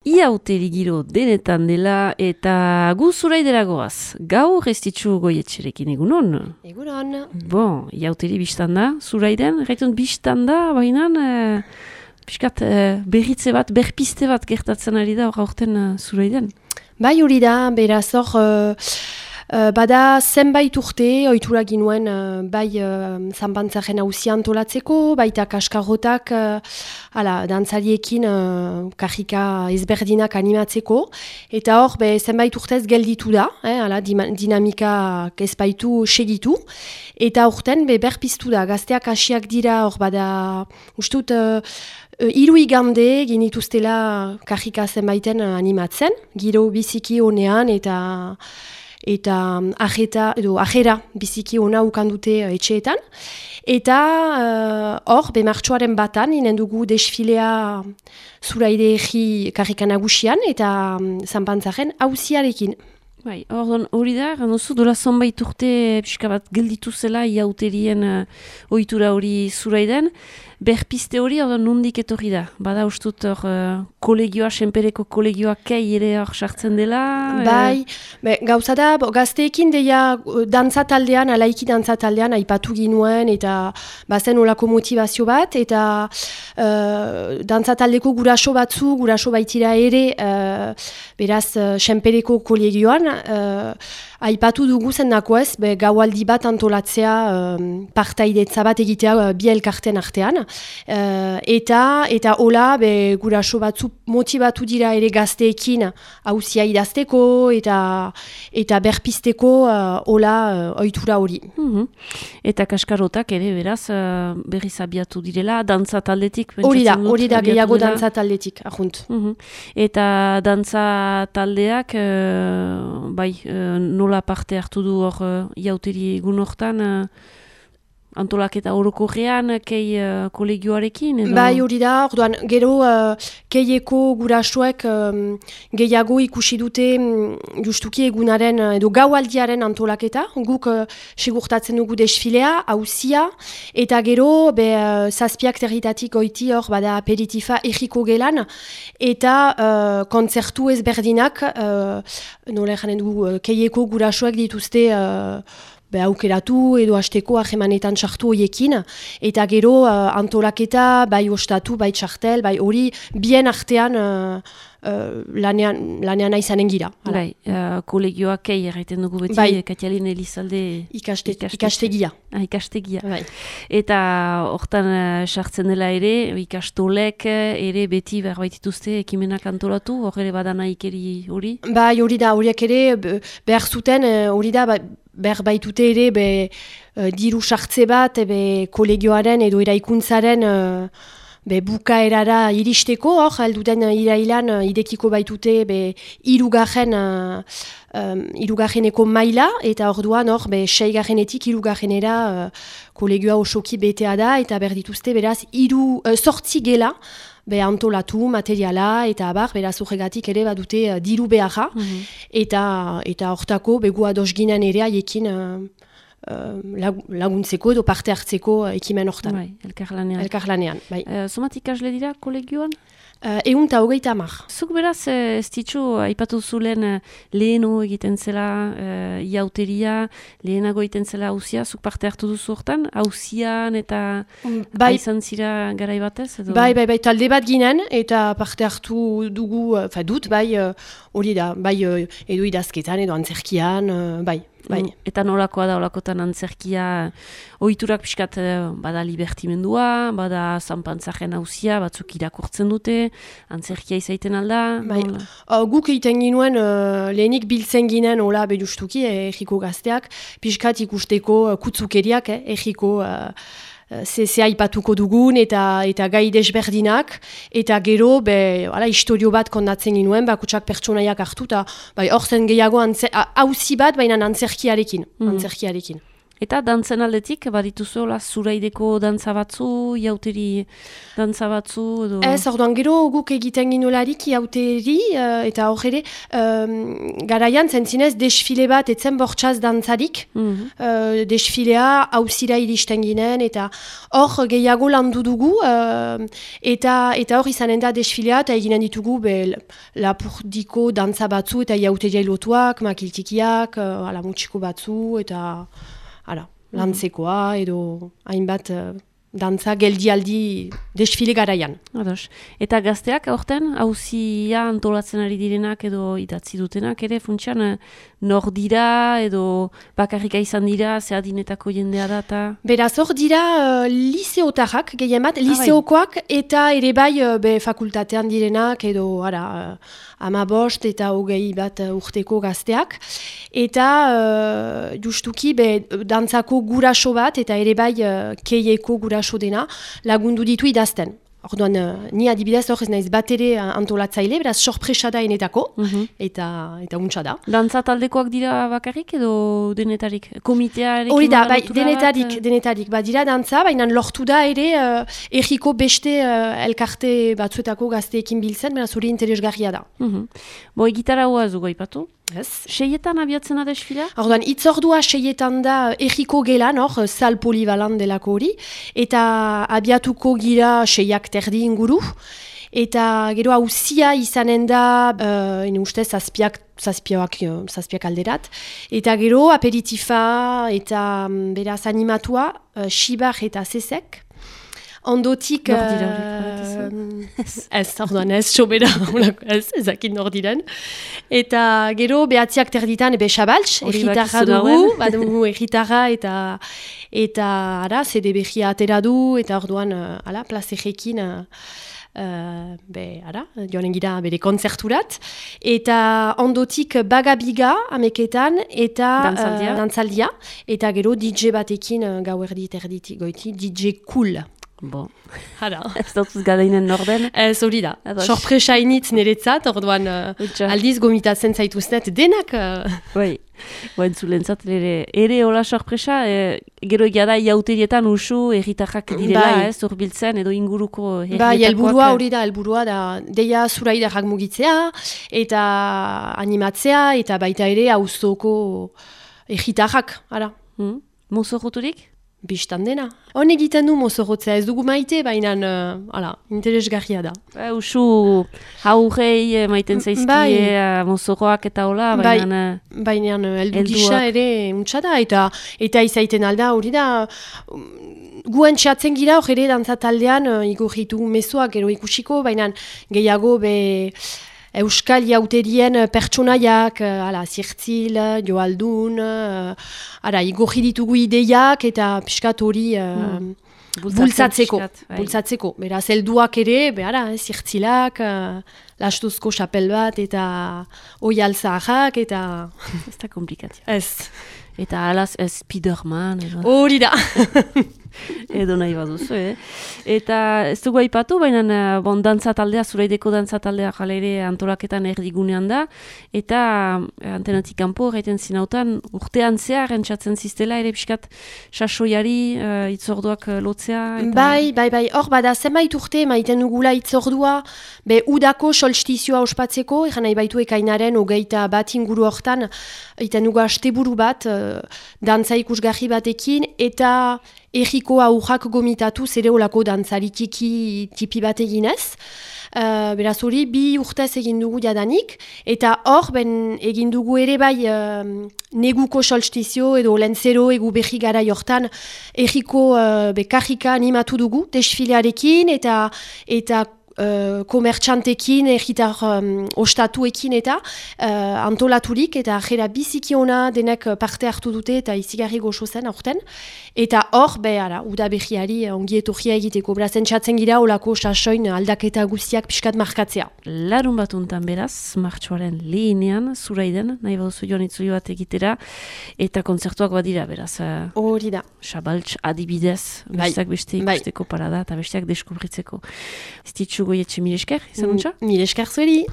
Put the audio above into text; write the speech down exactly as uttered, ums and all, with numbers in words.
Iauteri giro denetan dela eta gu zuraidera goaz. Gaur ez ditzu goietxerekin egunon? Egunon. Bon, iauteri biztan da, zuraiden, gaitun biztan da, baina e, piskat e, berritze bat, berpiste bat gertatzen ari da hor aurten e, zuraiden. Bai hori da, beraz hor, uh, uh, bada zenbait urte, ohitura ginuen uh, bai uh, zanbantzaren hausia antolatzeko, baita kaskarrotak, uh, hala, dantzariekin uh, kajika ezberdinak animatzeko, eta hor, be, zenbait urtez gelditu da, eh, hala, dinamika ezbaitu segitu, eta horten be, berpiztu da, gazteak hasiak dira, hor bada, ustut, uh, Hiru igande ginituztela kajika zenbaiten animatzen, giro biziki honean eta eta ajeta edo ajera biziki ona ukandute etxeetan. Eta hor, uh, be martxoaren batan, inen dugu desfilea zuraide egi kajika nagusian eta um, zanpantzaren hauziarekin. Bai, ordon hori da, ganozu, dola zonbait urte pixka bat gelditu zela iauterien uh, ohitura hori zuraiden. Berpiste hori, ordon nondik etorri da? Bada ustut hor uh, kolegioa, senpereko kolegioa kei ere hor sartzen dela? Bai, be, gauza da, bo, gazteekin deia dantza taldean, alaiki dantza taldean aipatu ginuen eta bazen olako motivazio bat, eta uh, dantza taldeko guraso batzu, guraso baitira ere, uh, beraz, uh, senpereko kolegioan, Uh, aipatu dugu zendako ez, be, gaualdi bat antolatzea um, partaidetza bat egitea uh, bi elkarten artean. Uh, eta eta hola be, guraso batzu motibatu dira ere gazteekin hauzia idazteko eta eta berpisteko uh, hola uh, ohitura hori. Mm-hmm. Eta kaskarotak ere beraz uh, berriz abiatu direla, dantza taldetik? Hori da, hori da gehiago dantza taldetik, ahunt. Mm-hmm. Eta dantza taldeak uh, bai, uh, nola parte hartu du hor uh, iauteri egun hortan, uh, antolaketa orokorrean, kei uh, kolegioarekin? Edo? Bai hori da, orduan, gero uh, keieko gurasoek um, gehiago ikusi dute um, justuki egunaren edo gaualdiaren antolaketa, guk uh, segurtatzen dugu desfilea, hauzia, eta gero be, uh, zazpiak territatik goiti hor bada aperitifa egiko gelan, eta uh, kontzertu ezberdinak, uh, nola janen dugu, uh, keieko gurasoek dituzte uh, Be aukeratu edo hasteko ahemanetan txartu horiekin, eta gero uh, antolaketa, bai ostatu, bai txartel, bai hori bien artean uh, uh, lanean, lanean aizanen gira. Bai, uh, kolegioak kei erraiten dugu beti, bai. Katialin Elizalde Ikaste, ikastegia. Ah, ikastegia. Bai. Eta hortan uh, sartzen dela ere, ikastolek ere beti berbaitituzte ekimenak antolatu, hor ere badana ikeri hori? Bai, hori da, horiek ere behar zuten, hori da, bai, behar baitute ere be, uh, diru sartze bat be, kolegioaren edo eraikuntzaren uh, be, bukaerara iristeko, hor, alduten uh, irailan uh, idekiko baitute be, irugarren, uh, um, irugarreneko maila, eta orduan hor, be, seigarrenetik irugarrenera uh, kolegioa osoki betea da, eta berdituzte beraz, iru, uh, sortzi gela, be antolatu, materiala, eta abar, beraz horregatik ere badute uh, diru beharra, mm-hmm. eta eta hortako begu ados ginen ere haiekin uh, uh, laguntzeko edo parte hartzeko uh, ekimen hortan. Bai, elkarlanean. Elkarlanean, bai. Uh, Zomat ikasle dira kolegioan? Uh, Egun eta hogeita hamar. Zuk beraz, ez ditzu, aipatu zulen leheno egiten zela uh, iauteria, lehenago egiten zela hauzia, zuk parte hartu duzu hortan, hauzian eta bai. Aizan zira garai batez? Edo? Bai, bai, bai, talde bat ginen, eta parte hartu dugu, fa dut, bai, hori uh, da, bai, uh, edo idazketan, edo antzerkian, uh, bai. Bai. Eta nolakoa da, olakotan antzerkia, ohiturak pixkat bada libertimendua, bada zanpantzaren hauzia, batzuk irakurtzen dute, antzerkia izaiten alda? Bai. Uh, guk egiten ginuen, uh, lehenik biltzen ginen, hola, bedustuki, egiko gazteak, pixkat ikusteko uh, kutzukeriak, eh, egiko uh, Ze, ze aipatuko dugun eta eta gai desberdinak, eta gero be, ala, historio bat kondatzen ginuen, bakutsak pertsonaiak hartu, eta bai, hor zen gehiago auzi bat, baina antzerkiarekin. Mm. antzerkiarekin. Eta dantzen aldetik, badituzu, la, zuraideko dantza batzu, jauteri dantza batzu, edo... Ez, orduan, gero guk egiten ginolarik jauteri, uh, eta hor ere, um, garaian zentzinez desfile bat etzen bortxaz dantzarik, mm-hmm. uh, desfilea hauzira iristen ginen, eta hor gehiago landu dugu, uh, eta, eta hor izanen da desfilea, eta eginen ditugu be, lapurdiko dantza batzu, eta jauteria lotuak, makiltikiak, uh, ala mutxiko batzu, eta... Hala, lantzekoa edo hainbat uh, dantza geldialdi desfile garaian. Ados. Eta gazteak aurten, hauzia antolatzen ari direnak edo idatzi dutenak ere, funtsian, nor dira edo bakarrika izan dira, zehadinetako jendea da eta... Beraz, hor dira uh, liseotarrak gehien bat, liseokoak eta ere bai uh, be fakultatean direnak edo ara, uh, ama bost eta hogei bat uh, urteko gazteak. Eta uh, justuki be, dantzako guraso bat eta ere bai uh, keieko guraso dena lagundu ditu idazten. Orduan, uh, ni adibidez hor ez naiz bat ere uh, antolatzaile, beraz sorpresa da enetako, mm-hmm. eta, eta untsa da. Dantza taldekoak dira bakarrik edo denetarik? Komitearekin? Hori da, bai, denetarik, bat, denetarik. Ba, dira dantza, baina lortu da ere uh, erriko beste uh, elkarte batzuetako gazteekin biltzen, beraz hori interesgarria da. Mm-hmm. Bo, egitara hoa ez dugu aipatu? Yes. Seietan abiatzen da desfilea? Orduan, itzordua seietan da erriko gelan, hor, sal polivalan delako hori, eta abiatuko gira seiak terdi inguru, eta gero hauzia izanen da, uh, ene ustez, zazpiak, zazpiak, zazpiak alderat, eta gero aperitifa eta beraz animatua, uh, xibar eta zezek. Ondotik... Uh, ez, orduan ez, sobera, ez, ezakit nordiren. Eta gero, behatziak terditan, ebe xabaltz, erritarra dugu, badugu erritarra eta, eta, ara, zede behia atera du, eta orduan, uh, ala, plazerekin, uh, uh, be, ara, joanen gira bere konzerturat. Eta ondotik bagabiga, ameketan, eta dantzaldia, uh, dantzaldia eta gero D J batekin, uh, gauerdi terditi goiti, D J cool. Bon. Hala. Ez dutuz galeinen norden? Ez hori da. Sorpresa initz niretzat, orduan uh, aldiz gomitatzen zaituznet denak. Bai, uh... entzulentzat ere, ere hola sorpresa, e, gero egia da jauterietan usu erritarrak direla, bai. Ez, urbiltzen edo inguruko erritakoak. Bai, helburua hori da, helburua da, deia zuraidarrak mugitzea, eta animatzea, eta baita ere auzoko erritarrak, ara. Hmm. Mozorroturik? Bistan dena. Hon egiten du mozorrotzea, ez dugu maite, baina uh, interesgarria da. Ba, usu haurrei maiten zaizkie bai. Mozorroak eta hola, baina... Bai, baina heldu gisa ere untsa da, eta, eta izaiten alda hori da... Guen txatzen gira hor ere dantzataldean, uh, igorritu mesoak gero ikusiko, baina gehiago be... Euskal jauterien pertsonaiak, ala, zirtzil, joaldun, ara, igorri ditugu ideiak eta piskat hori uh, mm. bultzatzeko. bultzatzeko. Beraz, helduak ere, behara, zirtzilak, uh, lastuzko xapel bat eta oial zaharrak eta... Ez da komplikazio. Ez. Eta alaz, Spiderman. Hori da. Edo nahi baduzu, eh? Eta ez dugu aipatu, baina bon, dantza taldea, zuraideko dantza taldea jala ere antolaketan erdigunean da, eta antenatik kanpo gaiten zinautan urtean zehar entzatzen ziztela, ere pixkat sasoiari uh, itzorduak lotzea. Eta... Bai, bai, bai, hor bada, zenbait urte maiten dugula itzordua, be udako solstizioa ospatzeko, eran nahi baitu ekainaren, hogeita bat inguru hortan, egiten dugu asteburu bat, uh, dantza ikusgarri batekin, eta erriko aurrak gomitatu zere olako dantzaritiki tipi bat eginez. Uh, beraz hori bi urtez egin dugu jadanik, eta hor ben egin dugu ere bai uh, neguko solstizio edo lentzero egu berri gara jortan erriko uh, bekarrika animatu dugu desfilearekin eta eta Uh, komertxantekin, erritar um, ostatuekin eta uh, antolaturik eta jera biziki ona denek parte hartu dute eta izigarri goxo zen aurten. Eta hor, behara, uda behiari ongi etorria egiteko. Brazen txatzen gira olako sasoin aldaketa guztiak pixkat markatzea. Larun batuntan beraz, martxoaren lehenean, zuraiden, nahi baduzu joan itzuli bat egitera, eta kontzertuak badira, beraz. Hori da. Xabaltz adibidez, besteak beste ikusteko parada eta besteak deskubritzeko. Zititzu goietxe mil esker, izan untxa? Mil esker zueri.